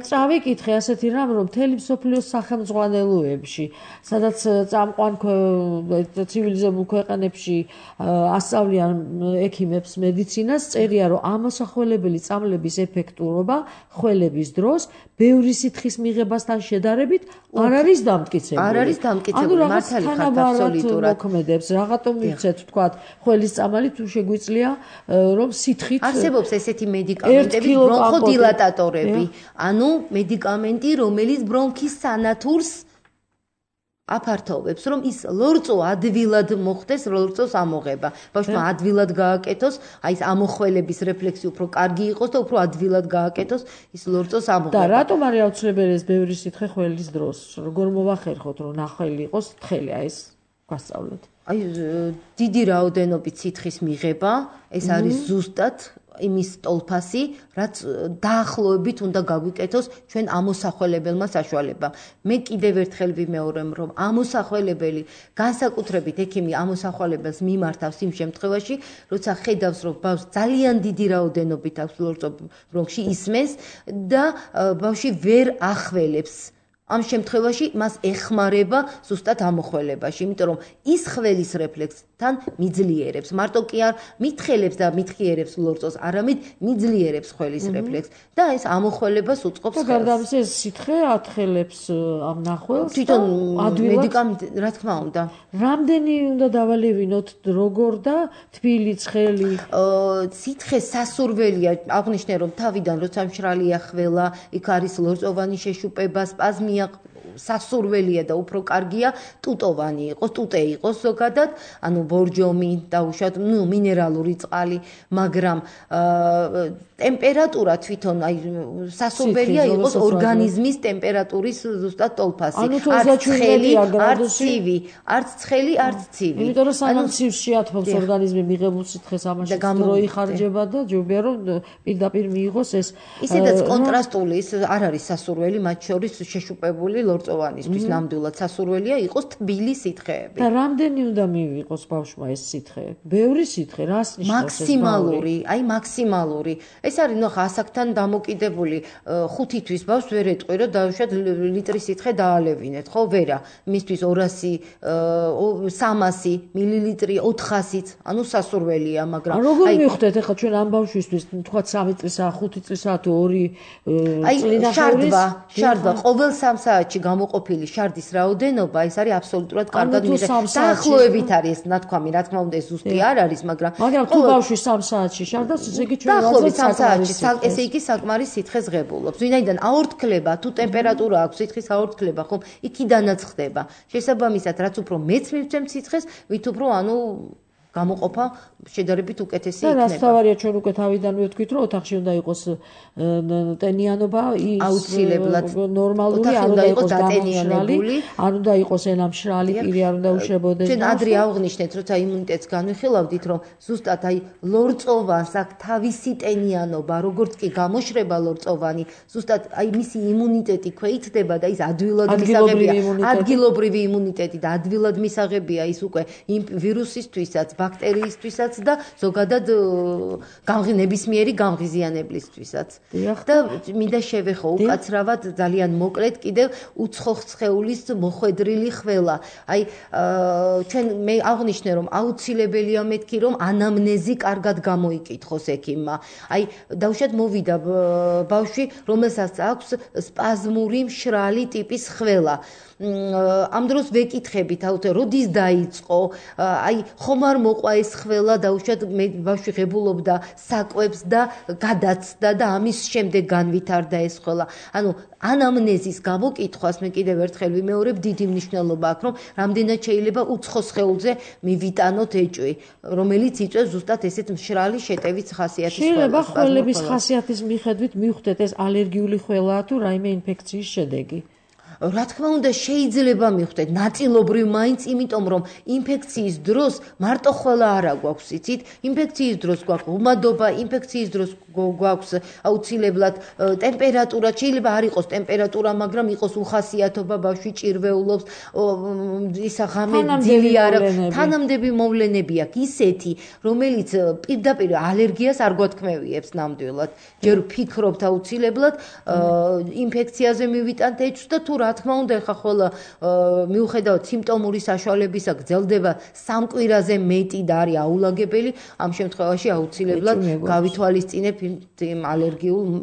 წავიკითხე ასეთი რამ, რომ მთელი მსოფლიოს სახელმძღვანელოებში, სადაც წამყვან ცივილიზებულ ქვეყანებში ასწავლიან ექიმებს მედიცინას, წერია, რომ ამოსახველებელი წამლების ეფექტურობა ხველების დროს ბევრი სითხის მიღებასთან შედარებით არ არის დამტკიცებული. არ არის დამტკიცებული, მართალი ხართ აბსოლუტურად. მოქმედებს, რაღაცა მივცეთ, თქვათ, ხველის წამალი თუ შეგვიძლია, რომ სითხით არსებობს ესეთი მედიკამენტები, ბრონხოდილატატორები, ანუ მედიკამენტი, რომელიც ბრონქის სანათურს აფართოვებს, რომ ის ლორწო ადვილად მოხდეს, ლორწოს ამოღება. ბავშვმა ადვილად გააკეთოს, აი ეს ამოხველების რეფლექსი უფრო კარგი იყოს და უფრო ადვილად გააკეთოს ის ლორწოს ამოღება. და რატომ არის აუცილებელი ეს ბევრი სითხე ხველის დროს? როგორ მოვახერხოთ, რომ ნახველი იყოს თხელი, აი ეს გვასწავლეთ. აი დიდი რაოდენობით სითხის მიღება, ეს არის ზუსტად იმის ტოლფასი, რაც დაახლოებით უნდა გაგვიკეთოს ჩვენ ამოსახველებელმა საშუალებამ. მე კიდევ ერთხელ ვიმეორებ, რომ ამოსახველებელი განსაკუთრებით ექიმი ამოსახველებელს მიმართავს იმ შემთხვევაში, როცა ხედავს, რომ ბავშვს ძალიან დიდი რაოდენობით აქვს ლორწო ბრონქში ისმენს და ბავშვი ვერ ახველებს. ამ შემთხვევაში მას ეხმარება ზუსტად ამოხველებაში, იმიტომ რომ ის ხველის რეფლექსთან მიძლიერებს, მარტო კი არ მითხელებს და მითხიერებს ლორწოს, არამედ მიძლიერებს ხველის რეფლექსს და ეს ამოხველებას უწყობს ხელს. და გარდა ამისა, სითხე ათხელებს ამ ნახველს. თვითონ მედიკამენტი, რა თქმა უნდა. რამდენი უნდა დავალევინოთ, როგორ და თბილი ცხელი? სითხე სასურველია, აღნიშნე რომ თავიდან როცა მშრალია ხველა, იქ არის ლორწოვანი შეშუპება, სპაზმი სასურველია და უფრო კარგია ტუტოვანი იყოს, ტუტე იყოს ზოგადად, ანუ ბორჯომი დაუშვათ, მინერალური წყალი, მაგრამ ტემპერატურა თვითონ აი სასურველია იყოს ორგანიზმის ტემპერატურის ზუსტად ტოლფასი. არც ცხელი, არც ცივი, არც ცხელი, არც ცივი. იმიტომ რომ სანამ ცივს შეათმობს ორგანიზმი მიღებულ სითხეს ამაში დრო იხარჯება და ჯობია რომ პირდაპირ მიიღოს ეს. ისედაც კონტრასტული არ არის სასურველი, მათ შორის შეშუპებული ლორწოვანისთვის ნამდვილად სასურველია იყოს თბილი სითხეები. და რამდენი უნდა მივიღოს ბავშვმა ეს სითხე? ბევრი სითხე, რას ნიშნავს ეს? მაქსიმალური, აი მაქსიმალური. ეს არის ნახა ასაკთან დამოკიდებული 5 თვის ბავშვს ვერ ეტყვი რომ დაუშვათ ლიტრი სითხე დაალევინეთ, ხო ვერა, მისთვის 200, 300 მილილიტრი, 400-იც, ანუ სასურველია, მაგრამ როგორ მივხვდეთ ახლა ჩვენ ამ ბავშვისთვის, თქვა 3 წლისა, 5 წლისა თუ 2 წლიდან შარდვა ყოველ 3 საათში გამოყოფილი შარდის რაოდენობა, ეს არის აბსოლუტურად კარგად მიღება. დაახლოებით არის ეს ნათქვამი, რა თქმა უნდა ეს ზუსტი არ არის, მაგრამ თუ ბავშვი 3 საათში შარდას, ესე იგი ჩვენ დაახლოებით 3 საათში ესე იგი საკმარის სითხეს ღებულობს. ვინაიდან აორთქლება, თუ ტემპერატურა აქვს, სითხის აორთქლება, ხომ, იქიდანაც ხდება. შესაბამისად, რაც უფრო მეც მივცემთ სითხეს, ვით უფრო გამოყოფა შედარებით უკეთესი იქნება. და რაც თავარია ჩვენ უკვე თავიდანვე ვთქვით, რომ ოთახში უნდა იყოს ტენიანობა, ის აუცილებლად ნორმალური, არ უნდა იყოს დამშრალი, არ უნდა იყოს ელამშრალი პირი, არ უნდა უშვებოდეს. ჩვენ ადრე აღვნიშნეთ, როცა იმუნიტეტს განვიხილავდით, რომ ზუსტად აი ლორწოვანს აქვს თავისი ტენიანობა, როგორც კი გამოშრება ლორწოვანი, ზუსტად აი მისი იმუნიტეტი ქვეითდება და ის ადვილად მისაღებია, ადგილობრივი იმუნიტეტი და ადვილად მისაღებია ის უკვე იმ ვირუსისთვისაც, ბაქტერიისთვისაც და ზოგადად ნებისმიერი გამღიზიანებლისთვისაც. და მინდა შევეხო უკაცრავად ძალიან მოკლედ კიდევ უცხოხ სხეულის მოხვედრილი ხველა. აი ჩვენ მე აღვნიშნე რომ აუცილებელია მეთქი რომ ანამნეზი კარგად გამოიკითხოს ექიმმა. აი დაუშვათ მოვიდა ბავშვი რომელსაც აქვს სპაზმური მშრალი ტიპის ხველა. ამ დროს ვეკითხებით აუცილებლად როდის დაიწყო, აი ხომ არ მოყვა ეს ხველა დაუშვათ ბავშვი ღებულობდა საკვებს და გადაცდა და ამის შემდეგ განვითარდა ეს ხველა. ანუ ანამნეზის გამოკითხვას მე კიდევ ერთხელ ვიმეორებ დიდი მნიშვნელობა აქვს, რომ რამდენად შეიძლება უცხო სხეულზე მივიტანოთ ეჭვი, რომელიც იწვევს ზუსტად ესეთ მშრალი შეტევის ხასიათის ხველას. შეიძლება ხველების ხასიათის მიხედვით მივხვდეთ ეს ალერგიული ხველაა თუ რაიმე ინფექციის შედეგი. რა თქმა უნდა შეიძლება მივხვდეთ ნაწილობრივ მაინც, იმიტომ რომ ინფექციის დროს მარტო ხველა არა გვაქვს, იცით? ინფექციის დროს გვაქვს ომადობა, ინფექციის დროს გვაქვს აუცილებლად ტემპერატურა, შეიძლება არ იყოს ტემპერატურა, მაგრამ იყოს უხასიათობა, ბავშვი ჭირვეულობს, ისა ღამე ძილი არა, თანამდები მოვლენები აქვს ისეთი, რომელიც პირდაპირ ალერგიას არ გვათქმევიებს ნამდვილად. ჯერ ფიქრობთ აუცილებლად ინფექციაზე მივიტანთ ეჭვს და თუ რა თქმა უნდა ხა ხოლმე მიუხედავად სიმპტომური საშუალებისა გრძელდება 3 კვირაზე მეტი და არის აულაგებელი, ამ შემთხვევაში აუცილებლად გავითვალისწინებ იმ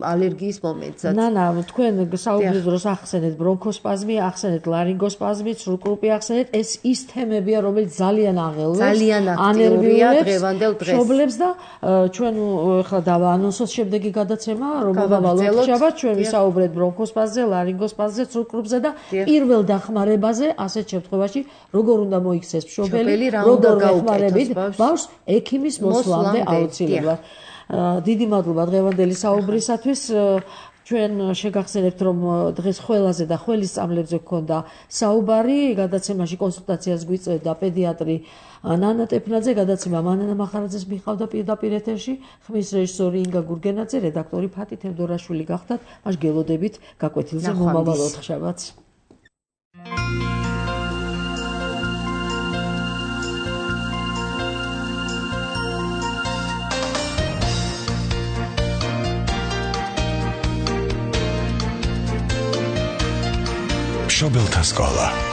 ალერგიის მომენტსაც. თქვენ საუბრის დროს ახსენეთ ბრონქოსპაზმი, ახსენეთ ლარინგოსპაზმი, სრულკრუპი ახსენეთ, ეს ის თემებია, რომელიც ძალიან აღელვებს, ძალიან აქტიურია დღევანდელ დღეს. მშობლებს და ჩვენ ხა დავაანონსოთ შემდეგი გადაცემა, რომელმაც ვალოქშაბათ ჩვენ ვისაუბრეთ ბრონქოსპაზმზე, ლარინგოსპაზმზე, სრულკრუპზე და პირველ დახმარებაზე ასეთ შემთხვევაში როგორ უნდა მოიქცეს მშობელი, როგორ ეხმარებით ბავშვს ექიმის მოსვლამდე აუცილებლად. დიდი მადლობა დღევანდელი საუბრისათვის. ჩვენ შეგახსენებთ, რომ დღეს ყველაზე და ხელის სწავლებზე გქონდა საუბარი, გადაცემაში კონსულტაციას გვიწევდა პედიატრი ნანა ტეფნაძე, გადაცემა მანანა მახარაძეს მიყავდა პირდაპირ ეთერში, ხმის რეჟისორი ინგა გურგენაძე, რედაქტორი ფათი თევდორაშვილი გახდათ. მას გელოდებით გაკვეთილზე მომავალ ოთხშაბათს. მშობელთა სკოლა